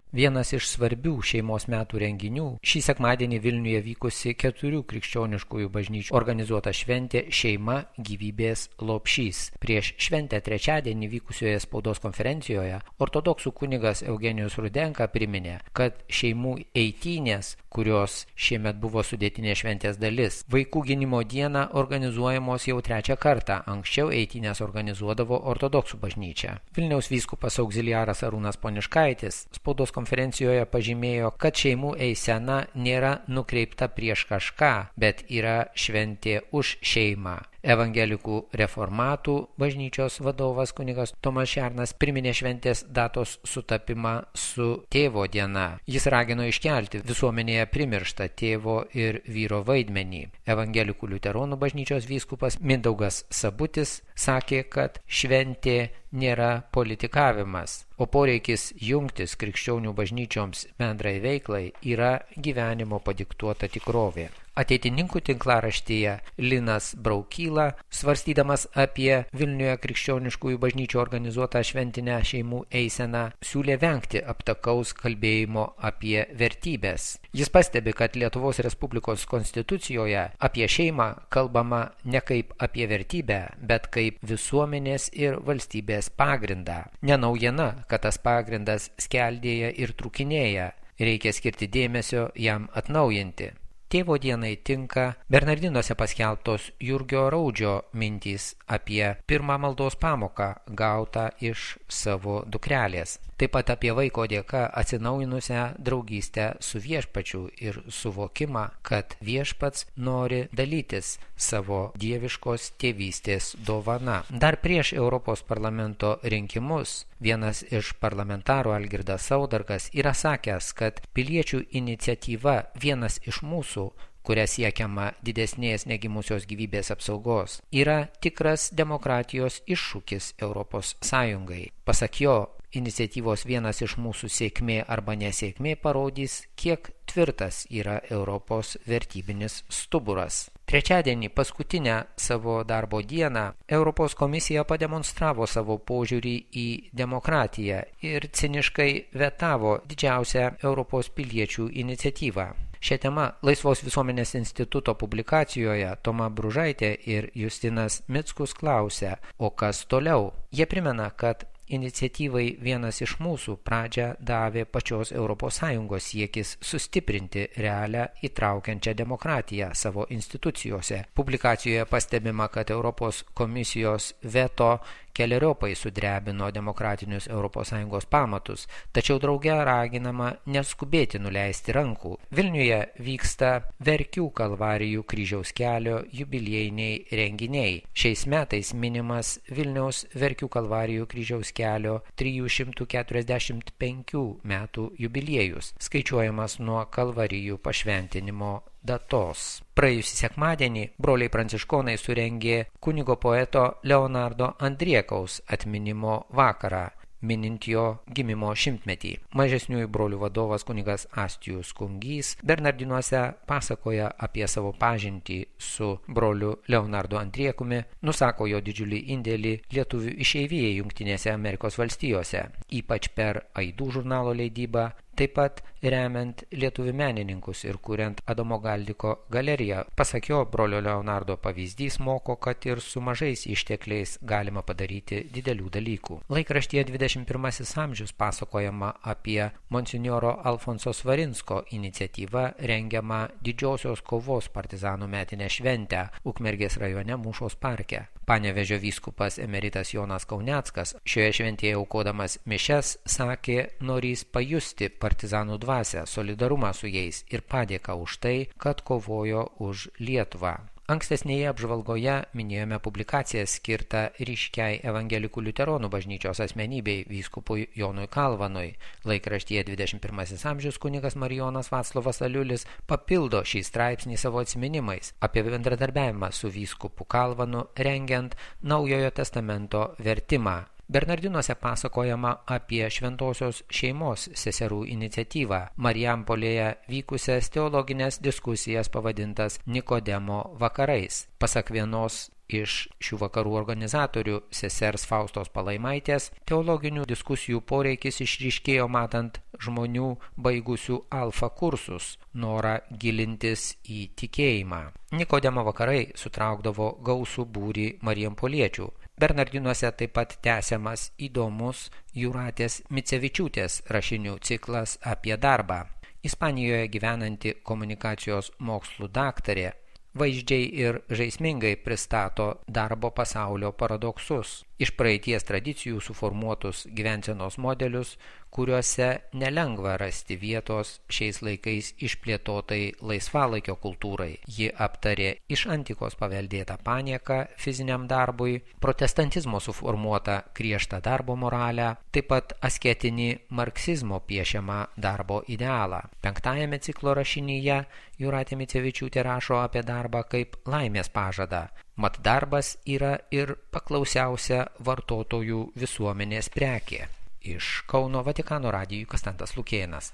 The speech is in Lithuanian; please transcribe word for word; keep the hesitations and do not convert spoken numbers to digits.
Vienas iš svarbių šeimos metų renginių šį sekmadienį Vilniuje vykusi keturių krikščioniškųjų bažnyčių organizuota šventė Šeima gyvybės lopšys. Prieš šventę trečiadienį vykusioje spaudos konferencijoje ortodoksų kunigas Eugenijus Rudenka priminė, kad šeimų eitynės, kurios šiemet buvo sudėtinė šventės dalis, vaikų gynimo dieną organizuojamos jau trečią kartą. Anksčiau eitynės organizuodavo ortodoksų bažnyčia. Vilniaus vyskupas auxiliaras Arūnas Poniškaitis spaudos konferencijoje pažymėjo, kad šeimų eisena nėra nukreipta prieš kažką, bet yra šventė už šeimą. Evangelikų reformatų bažnyčios vadovas kunigas Tomas Šernas priminė šventės datos sutapimą su tėvo diena. Jis ragino iškelti visuomenėje primirštą tėvo ir vyro vaidmenį. Evangelikų liuteronų bažnyčios vyskupas Mindaugas Sabutis sakė, kad šventė nėra politikavimas, o poreikis jungtis krikščionių bažnyčioms bendrai veiklai yra gyvenimo padiktuota tikrovė. Ateitininkų tinklaraštyje Linas Braukyla, svarstydamas apie Vilniuje krikščioniškųjų bažnyčių organizuotą šventinę šeimų eiseną, siūlė vengti aptakaus kalbėjimo apie vertybės. Jis pastebi, kad Lietuvos Respublikos konstitucijoje apie šeimą kalbama ne kaip apie vertybę, bet kaip visuomenės ir valstybės pagrindą. Nenaujiena, kad tas pagrindas skeldėja ir trūkinėja, reikia skirti dėmesio jam atnaujinti. Tėvo dienai tinka Bernardinuose paskelbtos Jurgio Raudžio mintys apie pirmą maldos pamoką gautą iš savo dukrelės. Taip pat apie vaiko dėka atsinaujinusią draugystę su viešpačiu ir suvokimą, kad viešpats nori dalytis savo dieviškos tėvystės dovana. Dar prieš Europos parlamento rinkimus vienas iš parlamentarų Algirdas Saudargas yra sakęs, kad piliečių iniciatyva vienas iš mūsų, kuria siekiama didesnės negimusios gyvybės apsaugos, yra tikras demokratijos iššūkis Europos Sąjungai. Pasak jo, iniciatyvos vienas iš mūsų sėkmė arba nesėkmė parodys, kiek tvirtas yra Europos vertybinis stuburas. Trečiadienį, paskutinę savo darbo dieną, Europos komisija pademonstravo savo požiūrį į demokratiją ir ciniškai vetavo didžiausią Europos piliečių iniciatyvą. Šią temą Laisvos visuomenės instituto publikacijoje Toma Bružaitė ir Justinas Mickus klausia, o kas toliau? Jie primena, kad iniciatyvai vienas iš mūsų pradžią davė pačios Europos Sąjungos siekis sustiprinti realią įtraukiančią demokratiją savo institucijose. Publikacijoje pastebima, kad Europos komisijos veto keleriopai sudrebino demokratinius Europos Sąjungos pamatus, tačiau drauge raginama neskubėti nuleisti rankų. Vilniuje vyksta Verkių kalvarijų kryžiaus kelio jubiliejiniai renginiai. Šiais metais minimas Vilniaus Verkių kalvarijų kryžiaus kelio trijų šimtų keturiasdešimt penkių metų jubiliejus, skaičiuojamas nuo kalvarijų pašventinimo datos. Praėjusį sekmadienį broliai pranciškonai surengė kunigo poeto Leonardo Andriekaus atminimo vakarą, minint jo gimimo šimtmetį. Mažesniųjų brolių vadovas kunigas Astijus Kungys Bernardinuose pasakoja apie savo pažintį su broliu Leonardo Andriekumi, nusako jo didžiulį indėlį lietuvių išeivijai Jungtinėse Amerikos valstijose, ypač per Aidų žurnalo leidybą, taip pat remiant lietuvių menininkus ir kuriant Adomo Galdiko galeriją. Pasak jo, brolio Leonardo pavyzdys moko, kad ir su mažais ištekliais galima padaryti didelių dalykų. Laikraštyje dvidešimt pirmasis amžius pasakojama apie monsinjoro Alfonso Svarinsko iniciatyvą rengiamą didžiosios kovos partizanų metinę šventę Ukmergės rajone Mūšos parke. Panevėžio vyskupas emeritas Jonas Kauneckas šioje šventėje aukodamas mišias sakė, norys pajusti partizanų dvasią, solidarumą su jais ir padėką už tai, kad kovojo už Lietuvą. Ankstesnėje apžvalgoje minėjome publikaciją skirtą ryškiai evangelikų liuteronų bažnyčios asmenybei vyskupui Jonui Kalvanui. Laikraštyje dvidešimt pirmasis amžius kunigas Marijonas Vaclovas Aliulis papildo šį straipsnį savo atsiminimais apie bendradarbiavimą su vyskupu Kalvanu rengiant Naujojo testamento vertimą. Bernardinuose pasakojama apie šventosios šeimos seserų iniciatyvą, Marijampolėje vykusias teologinės diskusijas pavadintas Nikodemo vakarais. Pasak vienos iš šių vakarų organizatorių sesers Faustos Palaimaitės teologinių diskusijų poreikis išryškėjo matant žmonių baigusių alfa kursus norą gilintis į tikėjimą. Nikodemo vakarai sutraukdavo gausų būrį marijampoliečių. Bernardinuose taip pat tęsiamas įdomus Jūratės Micevičiūtės rašinių ciklas apie darbą. Ispanijoje gyvenanti komunikacijos mokslų daktarė vaizdžiai ir žaismingai pristato darbo pasaulio paradoksus, iš praeities tradicijų suformuotus gyvensenos modelius, kuriuose nelengva rasti vietos šiais laikais išplėtotai laisvalaikio kultūrai. Ji aptarė iš antikos paveldėtą panieką fiziniam darbui, protestantizmo suformuotą griežtą darbo moralę, taip pat asketinį marksizmo piešiamą darbo idealą. Penktajame ciklo rašinyje Jūratė Micevičiūtė rašo apie darbą kaip laimės pažadą. Mat darbas yra ir paklausiausia vartotojų visuomenės prekė. Iš Kauno Vatikano radijui Konstantas Lukėnas.